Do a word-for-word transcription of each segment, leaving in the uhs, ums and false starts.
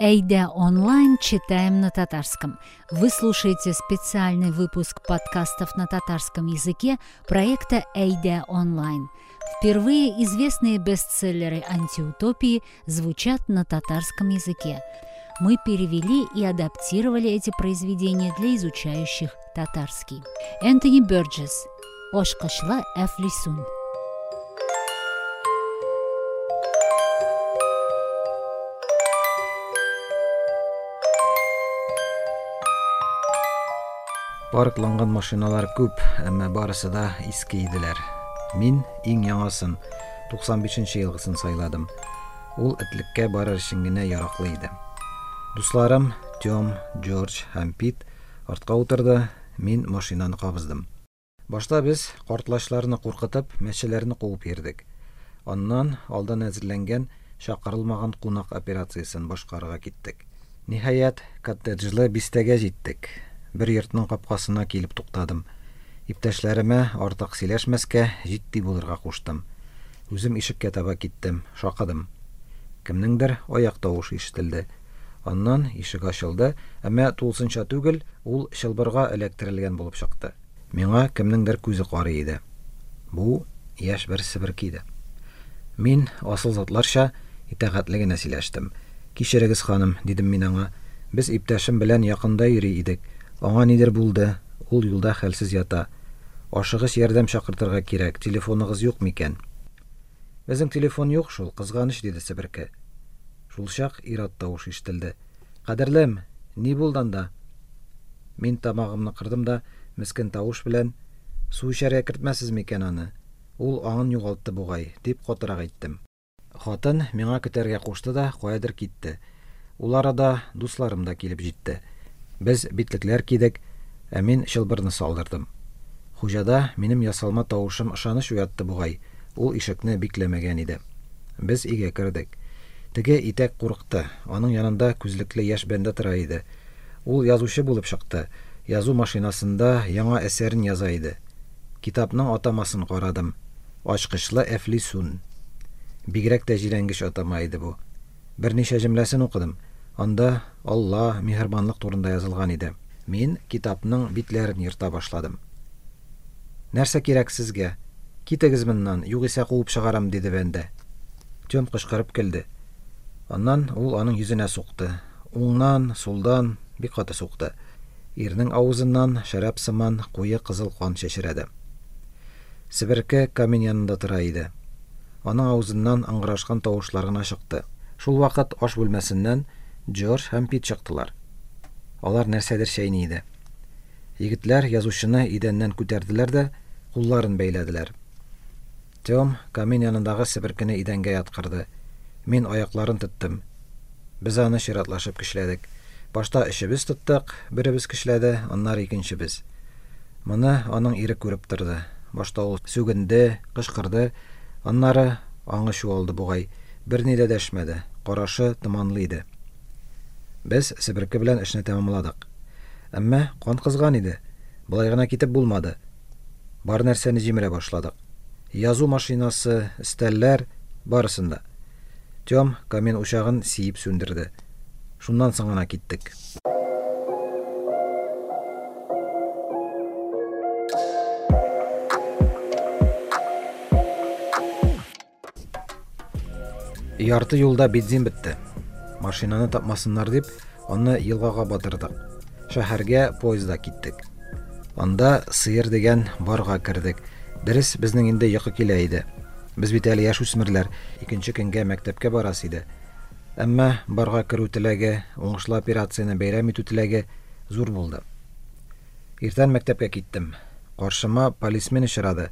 Әйдә онлайн читаем на татарском. Вы слушаете специальный выпуск подкастов на татарском языке проекта Әйдә онлайн. Впервые известные бестселлеры антиутопии звучат на татарском языке. Мы перевели и адаптировали эти произведения для изучающих татарский. Энтони Бёрджес. Ачкычлы әфлисун. Паркланган машиналар күп, әмма барысы да иске иделәр. Мин иң яңасын, туксан бишенче елгысын сайладым. Ул этлеккә барыр өчен генә яраклы иде. Дусларым Тём, Джордж һәм Пит артка утырды, мин машинаны кабыздым. Башта без картлачларны куркытып, мәчеләрне куып йөрдек. Аннан алдан әзерләнгән чакырылмаган кунак операциясен башкарырга киттек. Ниһаять, коттеджлы бистәгә җиттек. Бер йортның капкасына килеп туктадым. Иптәшләремә артык сөйләшмәскә, җитди булырга куштым. Үзем ишеккә таба киттем, шакыдым. Кемнеңдер аяк тавышы ишетелде. Аннан ишек ачылды, әмма тулысынча түгел, ул чылбырга эләктерелгән булып чыкты. Миңа кемнеңдер күзе карый иде. Бу яшь бер себерке иде. Мин асыл затларча итагатьле генә сөйләштем. Кичерегез, ханым, дидем мин аңа. Без иптәшем белән якында йөри идек. Аңа нидер булды, ул юлда хәлсез ята. Ашыгыч ярдәм чакыртырга кирәк, телефоныгыз юк микән? Безнең телефон юк шул, кызганыч, диде себерке. Шул чак ир-ат тавышы ишетелде. Кадерлем, ни булды анда? Мин тамагымны кырдым да, мескен тавыш белән, су эчәргә кертмәсез микән аны? Ул аңын югалтты бугай, дип катырак әйттем. Хатын миңа көтәргә кушты да, каядыр китте. Ул арада дусларым да килеп җитте. Без битлекләр кидек, ә мин чылбырны салдырдым. Хуҗада минем ясалма тавышым ышаныч уятты бугай, ул ишекне бикләмәгән иде. Без өйгә кердек. Теге итәк курыкты, аның янында күзлекле яшь бәндә тора иде. Ул язучы булып чыкты, язу машинасында яңа әсәрен яза иде. Китапның атамасын карадым. Ачкычлы әфлисун. Бигрәк тә җирәнгеч атама иде бу. Берничә җөмләсен укыдым. Анда Алла миһербанлык турында язылган иде. Мин китапның битләрен ерта башладым. Нәрсә кирәк сезгә? Китегез моннан, югыйсә куып чыгарам, диде бәндә. Тём кычкырып көлде. Аннан ул аның йөзенә сукты. Уңнан, сулдан бик каты сукты. Ирнең авызыннан шәраб сыман куе кызыл кан чәчрәде. Себерке камин янында тора иде. Аның авызыннан ыңгырашкан тавышлар гына чыкты. Шул вакыт аш бүлмәсеннән Джордж һәм Пит чыктылар. Алар нәрсәдер чәйни иде. Егетләр язучыны идәннән күтәрделәр дә кулларын бәйләделәр. Тём камин янындагы себеркене идәнгә яткырды. Мин аякларын тоттым. Без аны чиратлашып көчләдек. Башта өчебез тоттык, беребез көчләде, аннары икенчебез. Моны аның ире күреп торды. Башта ул сүгенде, кычкырды, аннары аңы чуалды бугай. Берни дә дәшмәде, карашы томанлы иде. Без себерке белән эшне тәмамладык. Әмма кан кызган иде. Болай гына китеп булмады. Бар нәрсәне җимерә башладык. Язу машинасы, өстәлләр, барысын да. Тём камин учагын сиеп сүндерде. Шуннан соң гына киттек. Ярты юлда бензин бетте. Машинаны тапмасыннар дип, аны елгага батырдык. Шәһәргә поездда киттек. Анда сыер дигән барга кердек. Дөрес, безнең инде йокы килә иде. Без бит әле яшүсмерләр, икенче көнгә мәктәпкә барасы иде. Әмма барга керү теләге, уңышлы операцияне бәйрәм итү теләге зур булды. Иртән мәктәпкә киттем. Каршыма полисмен очрады.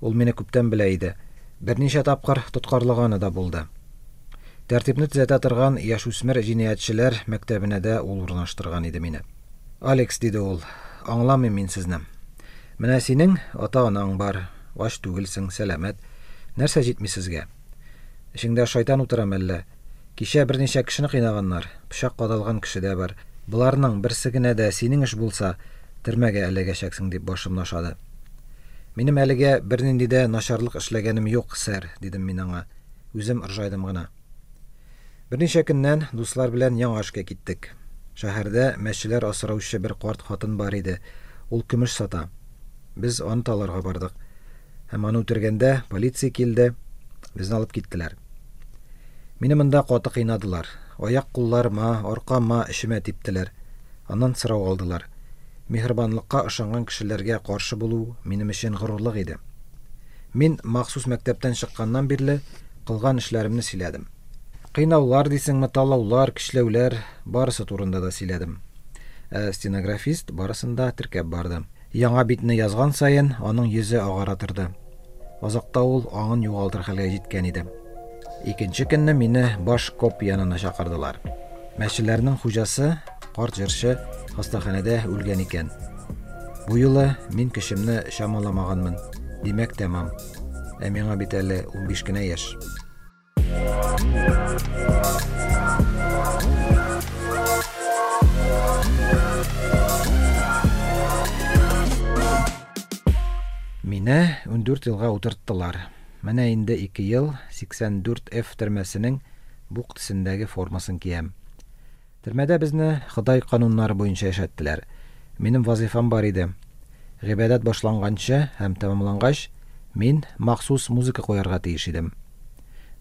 Ул мине күптән белә иде. Берничә тапкыр тоткарлаганы да булды. Тәртипне төзәтә торган яшүсмер җинаятьчеләр мәктәбенә дә ул урнаштырган иде мине. Алекс, диде ул, аңламыйм мин сезне. Менә синең ата-анаң бар, ач түгелсең, сәламәт. Нәрсә җитми сезгә? Эчеңдә шайтан утыра мәллә? Кичә берничә кешене кыйнаганнар, пычак кадалган кеше дә бар. Боларның берсе генә дә синең эш булса, төрмәгә эләгәчәксең, дип башымны ашады. Минем әлегә бернинди дә начарлык эшләгәнем юк, сэр, дидем мин аңа. Үзем ыржайдым гына. Берничә көннән дуслар белән яңа эшкә киттек. Шәһәрдә мәчеләр асраучы бер карт хатын бар иде. Ул көмеш сата. Без аны таларга бардык. Һәм аны үтергәндә полиция килде, безне алып киттеләр. Мине монда каты кыйнадылар. Аяк-кулларыма, аркама, эчемә типтеләр. Аннан сорау алдылар. Миһербанлыкка ышанган кешеләргә каршы булу минем өчен горурлык иде. Мин махсус мәктәптән чыкканнан бирле кылган эшләремне сөйләдем. Кыйнаулар дисеңме, талаулар, көчләүләр, барысы турында да сөйләдем. Ә стенографист барысын да теркәп барды. Яңа битне язган саен аның йөзе агара торды. Азакта ул аңын югалтыр хәлгә җиткән иде. Икенче көнне мине баш коп янына чакырдылар. Мәчеләрнең хуҗасы, карт җырчы, хастаханәдә үлгән икән. Бу юлы мин көчемне чамаламаганмын. Димәк, тәмам. Ә миңа бит әле унбиш кенә яшь. Мине ундүрт елга утырттылар. Менә инде ике ел сиксән дүрт F төрмәсенең бук төсендәге формасын киям. Төрмәдә безне Ходай кануннары буенча яшәттеләр. Минем вазифам бар иде. Гыйбадәт башланганчы һәм тәмамлангач, мин махсус музыка куярга тиеш идем.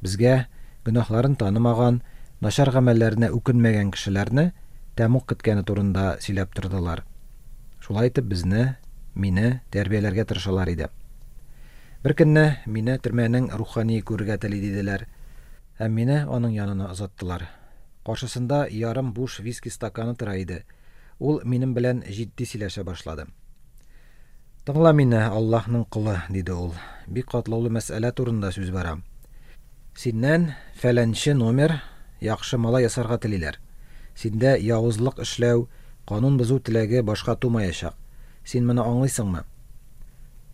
Безгә гөнаһларын танымаган, начар гамәлләренә үкенмәгән кешеләрне тәмуг көткәне турында сөйләп тордылар. Шулай итеп безне, мине тәрбияләргә тырышалар иде. Бер көнне мине төрмәнең рухани күрергә тели диделәр. Һәм мине аның янына озаттылар. Каршысында ярым буш виски стаканы тора иде. Ул минем белән җитди сөйләшә башлады. Тыңла мине, Аллаһның колы, диде ул. Бик катлаулы мәсьәлә турында сүз бара. Синнән фәләнче номер яхшы малай ясарга телиләр. Синдә явызлык эшләү, канун бозу теләге башка тумаячак. Син моны аңлыйсыңмы?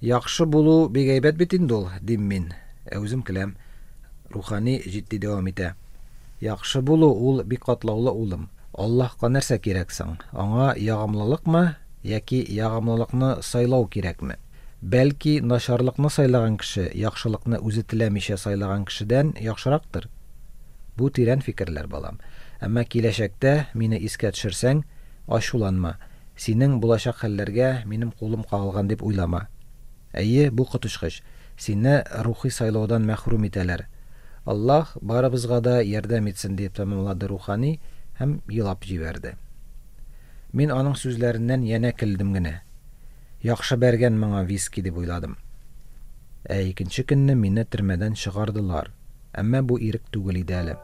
Яхшы булу бик әйбәт бит инде ул, дим мин. Ә үзем көләм. Рухани җитди дәвам итә. Яхшы булу ул бик катлаулы, улым. Аллаһка нәрсә кирәк соң? Аңа ягымлылыкмы яки ягымлылыкны сайлау кирәкме? Бәлки начарлыкны сайлаган кеше яхшылыкны үзе теләмичә сайлаган кешедән яхшырактыр. Бу тирән фикерләр, балам. Әмма киләчәктә мине искә төшерсәң, ачуланма. Синең булачак хәлләргә минем кулым кагылган дип уйлама. Әйе, бу коточкыч. Сине рухи сайлаудан мәхрүм итәләр. Аллаһ барыбызга да ярдәм итсен, дип тәмамлады рухани һәм елап җибәрде. Мин аның сүзләреннән янә көлдем генә. Яхшы бәргән моңа виски дип уйладым. Ә икенче көнне мине төрмәдән чыгардылар. Әмма бу ирек түгел иде әле.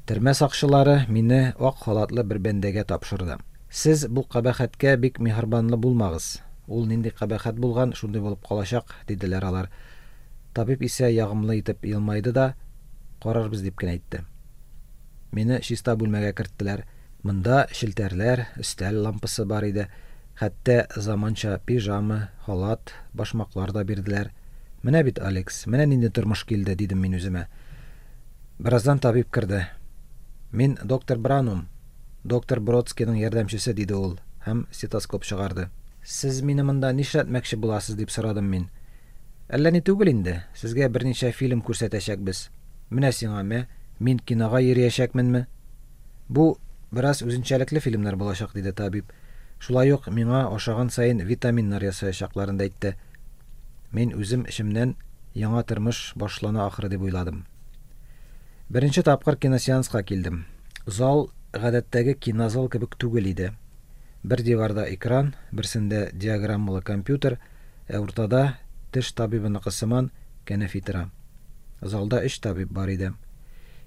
Төрмә сакчылары мине ак халатлы бер бәндәгә тапшырды. Сез бу кабахәткә бик миһербанлы булмагыз. Ул нинди кабахәт булган, шундый булып калачак, диделәр алар. Табиб исә ягымлы итеп елмайды да, карарбыз дип кенә әйтте. Мине чиста бүлмәгә керттеләр. Монда челтәрләр, өстәл лампасы бар иде. Хәтта заманча пижама, халат, башмаклар да бирделәр. Менә бит, Алекс, менә нинди тормыш килде, дидем мин үземә. Бераздан табиб керде. Мин доктор Бранум, доктор Бродскийның ярдәмчесе, диде ул һәм стетоскоп чыгарды. Сез мине монда нишләтмәкче буласыз, дип сорадым мин. Әллә ни түгел инде, сезгә берничә фильм күрсәтәчәкбез. Менә сиңа мә, мин кинога йөриячәкменме? Бу бераз үзенчәлекле фильмнар булачак, диде табиб. Шулай ук миңа ашаган саен витаминнар ясаячакларын да әйтте. Мин үзем эчемнән яңа тормыш башлана ахры дип уйладым. Беренче тапкыр киносеанска килдем. Зал гадәттәге кинозал кебек түгел иде. Бер диварда экран, берсендә диаграммалы компьютер, ә уртада теш табибыныкы сыман кәнәфи тора. Залда өч табиб бар иде.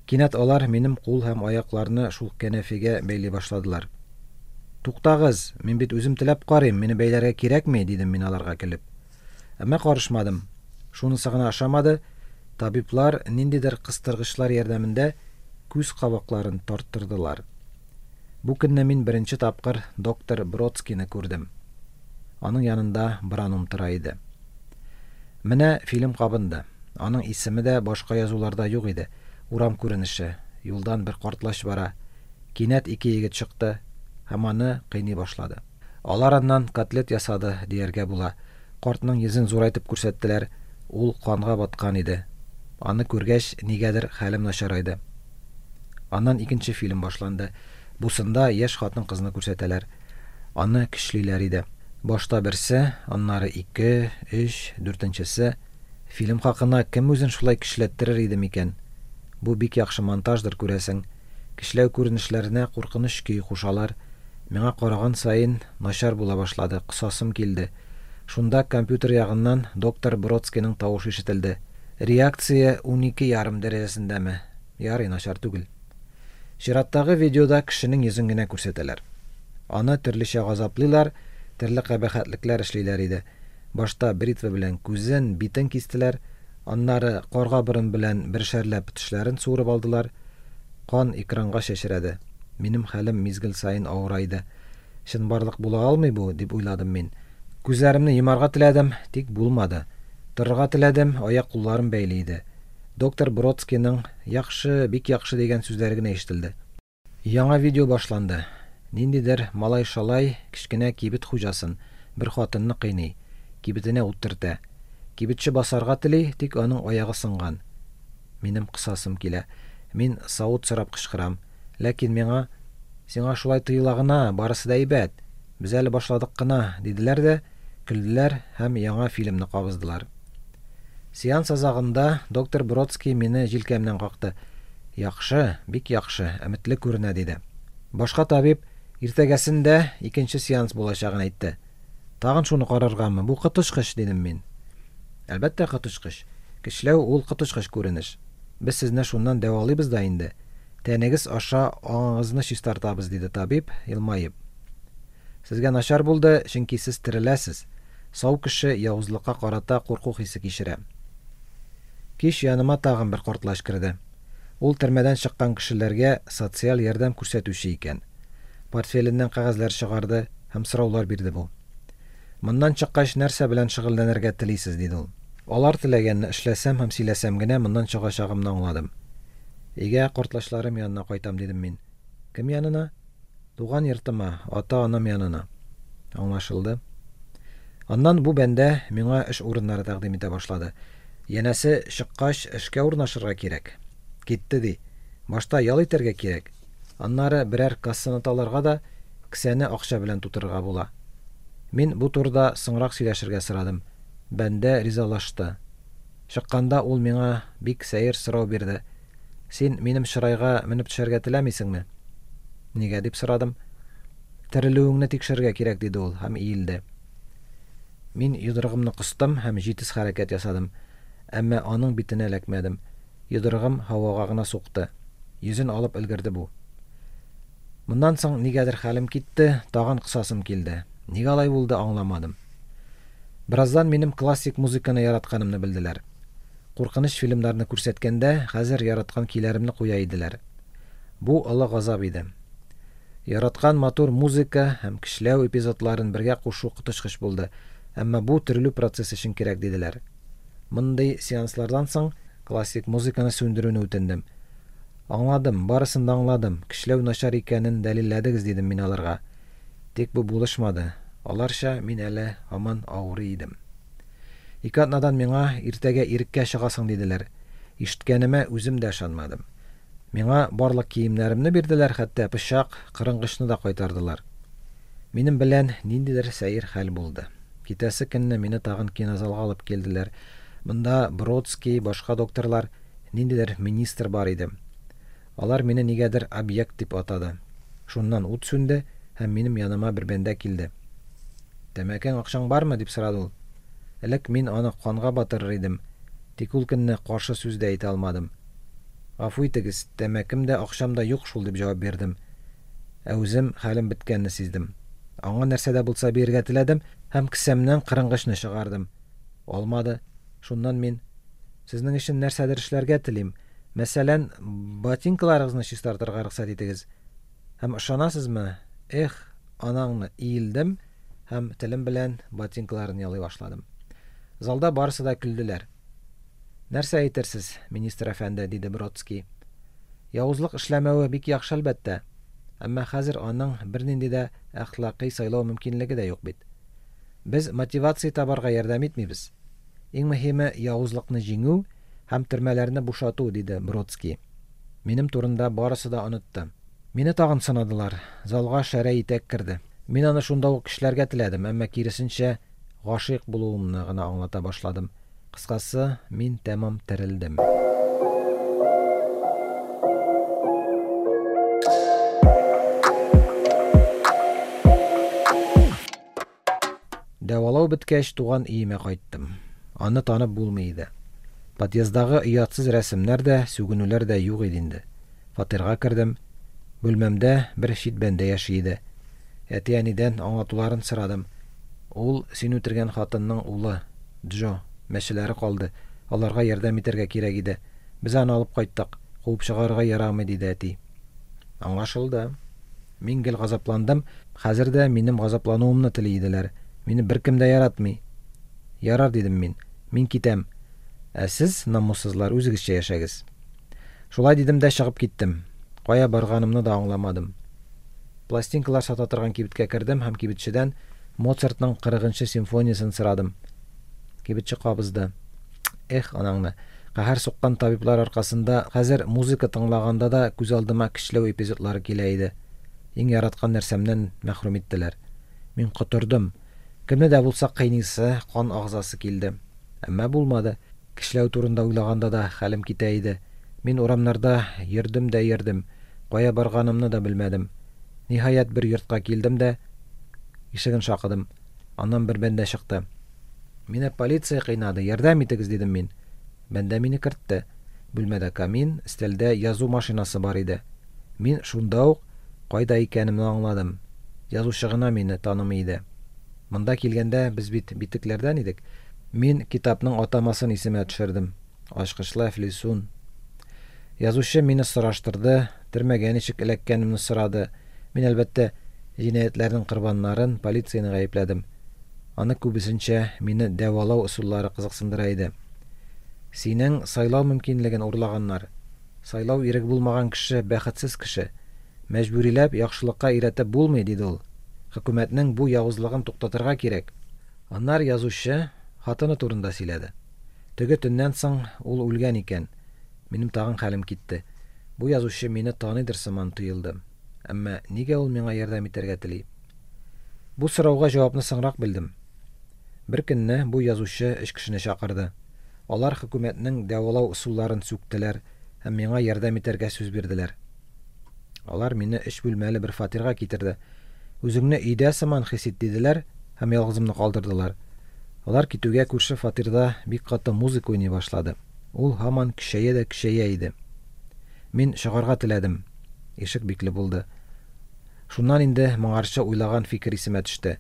Кинәт алар минем кул һәм аякларны шул кәнәфигә бәйли башладылар. Туктагыз, мин бит үзем теләп карыйм, мине бәйләргә кирәкми, дидем мин аларга көлеп. Әмма карышмадым. Шунысы гына ошамады. Табиблар ниндидер кыстыргычлар ярдәмендә күз кабакларын тарттырдылар. Бу көнне мин беренче тапкыр доктор Бродскийны күрдем. Аның янында Бранум тора иде. Менә фильм кабынды. Аның исеме дә башка язуларда юк иде. Урам күренеше. Юлдан бер картлач бара. Кинәт ике егет чыкты һәм аны кыйный башлады. Алар аннан котлет ясады дияргә була. Картның йөзен зурайтып күрсәттеләр. Ул канга баткан иде. Аны күргәч, нигәдер хәлем начарайды. Аннан икенче фильм башланды. Бусында яшь хатын-кызны күрсәтәләр. Аны көчлиләр иде. Башта берсе, аннары ике, өч, дүртенчесе. Фильм хакына кем үзен шулай көчләттерер иде микән? Бу бик яхшы монтаждыр, күрәсең. Көчләү күренешләренә куркыныч көй кушалар. Миңа караган саен начар була башлады, косасым килде. Шунда компьютер ягыннан доктор Бродскийның тавышы ишетелде. Реакция унике ярым дәрәҗәсендәме? Ярый, начар түгел. Чираттагы видеода кешенең йөзен генә күрсәтәләр. Аны төрлечә газаплыйлар, төрле кабахәтлекләр эшлиләр иде. Башта бритва белән күзен, битен кистеләр, аннары карга борын белән бершәрләп тешләрен суырып алдылар. Кан экранга чәчрәде. Минем хәлем мизгел саен авырайды. Чынбарлык була алмый бу, дип уйладым мин. Күзләремне йомарга теләдем, тик булмады. Торырга теләдем, аяк кулларым бәйле иде. Доктор Бродскийның яхшы, бик яхшы дигән сүзләре генә ишетелде. Яңа видео башланды. Ниндидер малай-шалай кечкенә кибет хуҗасын, бер хатынны кыйный, кибетенә ут төртә. Кибетче басарга тели, тик аның аягы сынган. Минем кысасым килә. Мин савыт сорап кычкырам. Ләкин миңа: "Сиңа шулай тоела гына, барысы да әйбәт. Без әле башладык кына", диделәр дә, көлделәр һәм яңа фильмны кабыздылар. Сеанс азагында доктор Бродский мине җилкәмнән какты. Яхшы, бик яхшы, өметле күренә, диде. Башка табиб иртәгәсен дә икенче сеанс булачагын әйтте. Тагын шуны караргамы? Бу коточкыч, дидем мин. Әлбәттә, коточкыч. Көчләү ул коточкыч күренеш. Без сезне шуннан дәвалыйбыз да инде. Тәнегез аша аңыгызны чистартабыз, диде табиб, елмаеп. Сезгә начар булды, чөнки сез тереләсез. Сау кеше явызлыкка карата курку хисе кичерә. Кич яныма тагын бер картлач керде. Ул төрмәдән чыккан кешеләргә социаль ярдәм күрсәтүче икән. Портфеленнән кәгазьләр чыгарды һәм сораулар бирде бу. Моннан чыккач нәрсә белән шөгыльләнергә телисез, диде ул. Алар теләгәнне эшләсәм һәм сөйләсәм генә моннан чыгачагымны аңладым. Өйгә картлачларым янына кайтам, дидем мин. Кем янына? Туган йортыма, ата-анам янына. Аңлашылды. Аннан бу бәндә миңа эш урыннары тәкъдим итә башлады. Янәсе, чыккач эшкә урнашырга кирәк. Китте ди. Башта ял итәргә кирәк. Аннары берәр кассаны таларга да кесәне акча белән тутырырга була. Мин бу турыда соңрак сөйләшергә сорадым. Бәндә ризалашты. Чыкканда ул миңа бик сәер сорау бирде. Син минем чырайга менеп төшәргә теләмисеңме? Нигә дип сорадым. Терелүеңне тикшерергә кирәк, диде ул һәм иелде. Мин йодрыгымны кыстым һәм җитез хәрәкәт ясадым. Әмма аның битенә эләкмәдем. Йодрыгым һавага гына сукты. Йөзен алып өлгерде бу. Моннан соң нигәдер хәлем китте, тагын кысасым килде. Нигә алай булды, аңламадым. Бераздан минем классик музыканы яратканымны белделәр. Куркыныч фильмнарны күрсәткәндә, хәзер яраткан көйләремне куя иделәр. Бу олы газап иде. Яраткан матур музыка һәм көчләү эпизодларын бергә кушу коточкыч булды. Әмма бу терелү процессы өчен кирәк, диделәр. Мондый сеанслардан соң классик музыканы сүндерүне үтендем. Аңладым, барысын да аңладым. Көчләү начар икәнен дәлилләдегез, дидем мин аларга. Тик бу булышмады. Аларча мин әле һаман авырый идем. Ике атнадан миңа иртәгә иреккә чыгасың, диделәр. Ишеткәнемә үзем дә ышанмадым. Миңа барлык киемнәремне бирделәр, хәтта пычак, кырынгычны да кайтардылар. Минем белән ниндидер сәер хәл булды. Китәсе көнне мине тагын кинозалга алып килделәр. Монда Бродский, башка докторлар, ниндидер министр бар иде. Алар мине нигәдер объект дип атады. Шуннан ут сүнде һәм минем яныма бер бәндә килде. Тәмәкең, акчаң бармы, дип сорады ул. Элек мин аны канга батырыр идем. Тик ул көнне каршы сүз дә әйтә алмадым. Гафу итегез, тәмәкем дә, акчам да юк шул, дип җавап бирдем. Ә үзем хәлем беткәнне сиздем. Аңа нәрсә дә булса бирергә теләдем һәм кесәмнән кырынгычны чыгардым. Алмады. Шуннан мин: "Сезнең өчен нәрсәдер эшләргә телим. Мәсәлән, ботинкаларыгызны чистартырга рөхсәт итегез." Һәм ышанасызмы? Эх, анаңны иелдем һәм телем белән ботинкаларын ялый башладым. Залда барысы да көлделәр. Нәрсә әйтерсез, министр әфәнде, диде Бродский. Явызлык эшләмәве бик яхшы әлбәттә. Әмма хәзер аның бернинди дә әхлакый сайлау мөмкинлеге дә юк бит. Без мотивация табарга ярдәм итмибез. Иң мөһиме явызлыкны җиңү һәм төрмәләрне бушату, диде Бродский. Минем турында барысы да онытты. Мине тагын сынадылар. Залга шәрә итәк керде. Мин аны шунда ук кешеләргә теләдем, әмма киресенчә гашыйк булуымны гына аңлата башладым. Кыскасы, мин тәмам терелдем. Дәвалау беткәч, туган өемә кайттым. Аны танып булмый иде. Подъезддагы оятсыз рәсемнәр дә, сүгенүләр дә юк иде инде. Фатирга кердем. Бүлмәмдә бер чит бәндә яши иде. Әти-әнидән аңлатуларын сорадым. Ул син үтергән хатынның улы, Джо. Мәчеләре калды. Аларга ярдәм итәргә кирәк иде. Без аны алып кайттык. Куып чыгарырга ярамый, диде әти. Аңлашылды. Мин гел газапландым. Хәзер дә минем газаплануымны тели иделәр. Мине беркем дә яратмый. Ярар, дидем мин. Мин китәм. Ә сез, намуссызлар, үзегезчә яшәгез. Шулай дидем дә чыгып киттем. Кая барганымны да аңламадым. Пластинкалар сата торган кибеткә кердем һәм кибетчедән Моцартның кырыгынчы симфониясен сорадым. Кибетче кабызды. Эх, анаңны. Каһәр суккан табиблар аркасында хәзер музыка тыңлаганда да күз алдыма көчләү эпизодлары килә иде. Иң яраткан нәрсәмнән мәхрүм иттеләр. Мин котырдым. Кемне дә булса кыйныйсы, кан агызасы килде. Әмма булмады. Көчләү турында уйлаганда да хәлем китә иде. Мин урамнарда йөрдем дә йөрдем. Кая барганымны да белмәдем. Ниһаять бер йортка килдем дә ишеген шакыдым. Аннан бер бәндә чыкты. Мине полиция кыйнады, ярдәм итегез, дидем мин. Бәндә мине кертте. Бүлмәдә камин, өстәлдә язу машинасы бар иде. Мин шунда ук кайда икәнемне аңладым. Язучы гына мине танымый иде. Монда килгәндә без бит битекләрдән идек. Мин китапның атамасын исемә төшердем. Ачкычлы әфлисун. Язучы мине сораштырды, төрмәгә ничек эләккәнемне сорады. Мин әлбәттә җинаятьләрнең корбаннарын, полицияне гаепләдем. Аны күбесенчә мине дәвалау ысуллары кызыксындыра иде. Синең сайлау мөмкинлеген урлаганнар. Сайлау иреге булмаган кеше бәхетсез кеше. Мәҗбүриләп яхшылыкка өйрәтеп булмый, диде ул. Хөкүмәтнең бу явызлыгын туктатырга кирәк. Аннары язучы хатыны турында сөйләде. Теге төннән соң ул үлгән икән. Минем тагын хәлем китте. Бу язучы мине таныйдыр сыман тоелды. Әмма нигә ул миңа ярдәм итәргә тели? Бу сорауга җавапны соңрак белдем. Бер көнне бу язучы өч кешене чакырды. Алар хөкүмәтнең дәвалау ысулларын сүктеләр һәм миңа ярдәм итәргә сүз бирделәр. Алар мине өч бүлмәле бер фатирга китерде. Үзеңне өйдә сыман хис ит, диделәр һәм ялгызымны калдырдылар. Алар китүгә күрше фатирда бик каты музыка уйный башлады. Ул һаман көчәя дә көчәя иде. Мин чыгарга теләдем. Ишек бикле булды. Шуннан инде моңарчы уйлаган фикер исемә төште.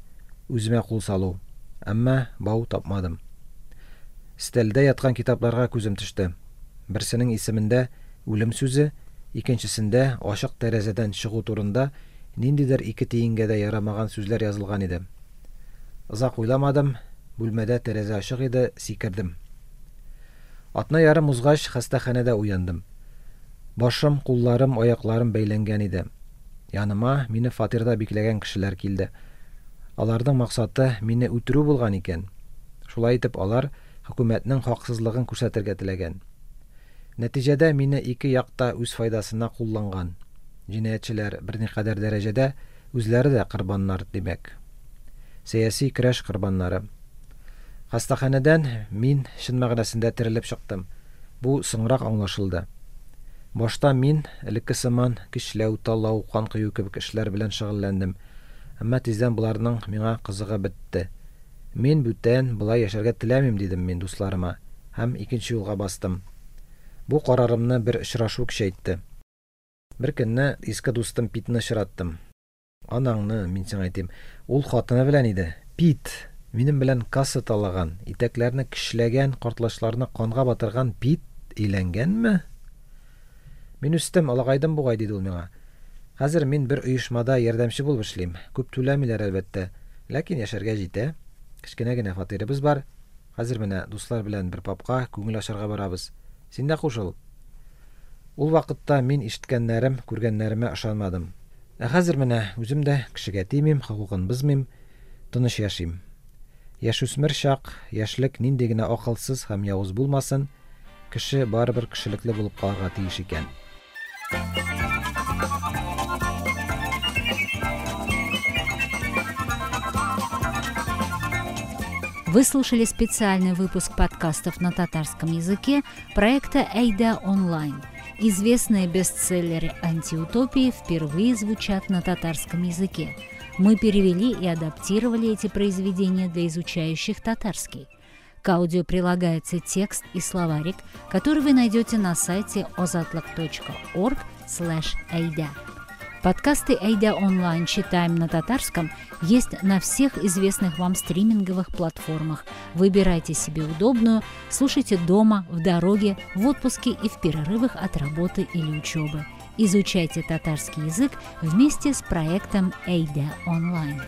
Үземә кул салу. Әмма бау тапмадым. Стәлдә яткан китапларга күзем төште. Берсенең исемендә үлем сүзе, икенчесендә ачык тәрәзәдән чыгу турында ниндидер ике тиенгә дә ярамаган сүзләр язылган иде. Озак уйламадым, бүлмәдә тәрәзә ачык иде, сикердем. Атна ярым узгач хастаханәдә уяндым. Башым, кулларым, аякларым бәйләнгән иде. Яныма мине фатирда бикләгән кешеләр килде. Аларның максаты мине үтерү булган икән. Шулай итеп алар хөкүмәтнең хаксызлыгын күрсәтергә теләгән. Нәтиҗәдә мине ике якта үз файдасына кулланган. Җинаятьчеләр берникадәр дәрәҗәдә үзләре дә корбаннар, димәк. Сәяси көрәш корбаннары. Хастаханәдән мин чын мәгънәсендә терелеп чыктым. Бу соңрак аңлашылды. Башта мин элекке сыман көчләү, талау, кан кою кебек эшләр белән шөгыльләндем. Әмма тиздән боларның миңа кызыгы бетте. Мин бүтән болай яшәргә теләмим, дидем мин дусларыма һәм икенче юлга бастым. Бу карарымны бер очрашу көчәйтте. Бер көнне иске дустым Питны очраттым. Анаңны, мин сиңа әйтим, ул хатыны белән иде. Пит, минем белән касса талаган, итәкләрне көчләгән, картлачларны канга батырган Пит өйләнгәнме? Мин үстем, олыгайдым бугай, диде ул миңа. Хәзер мин бер оешмада ярдәмче булып эшлим. Күп түләмиләр, әлбәттә, ләкин яшәргә җитә. Кечкенә генә фатирыбыз бар. Хәзер менә дуслар белән бер пабка күңел ачарга барабыз. Син дә кушыл. Ул вакытта мин ишеткәннәрем, күргәннәремә ышанмадым. Ә хәзер менә үзем дә кешегә тимим, хокукын бозмыйм, тыныч яшим. Яшүсмер чак, яшьлек нинди генә акылсыз һәм явыз булмасын, кеше барыбер кешелекле булып калырга тиеш икән. Вы слушали специальный выпуск подкастов на татарском языке проекта «Әйдә онлайн». Известные бестселлеры антиутопии впервые звучат на татарском языке. Мы перевели и адаптировали эти произведения для изучающих татарский. К аудио прилагается текст и словарик, который вы найдете на сайте ozodlik точка org слэш әйдә. Подкасты «Әйдә онлайн» читаем на татарском есть на всех известных вам стриминговых платформах. Выбирайте себе удобную, слушайте дома, в дороге, в отпуске и в перерывах от работы или учебы. Изучайте татарский язык вместе с проектом «Әйдә онлайн».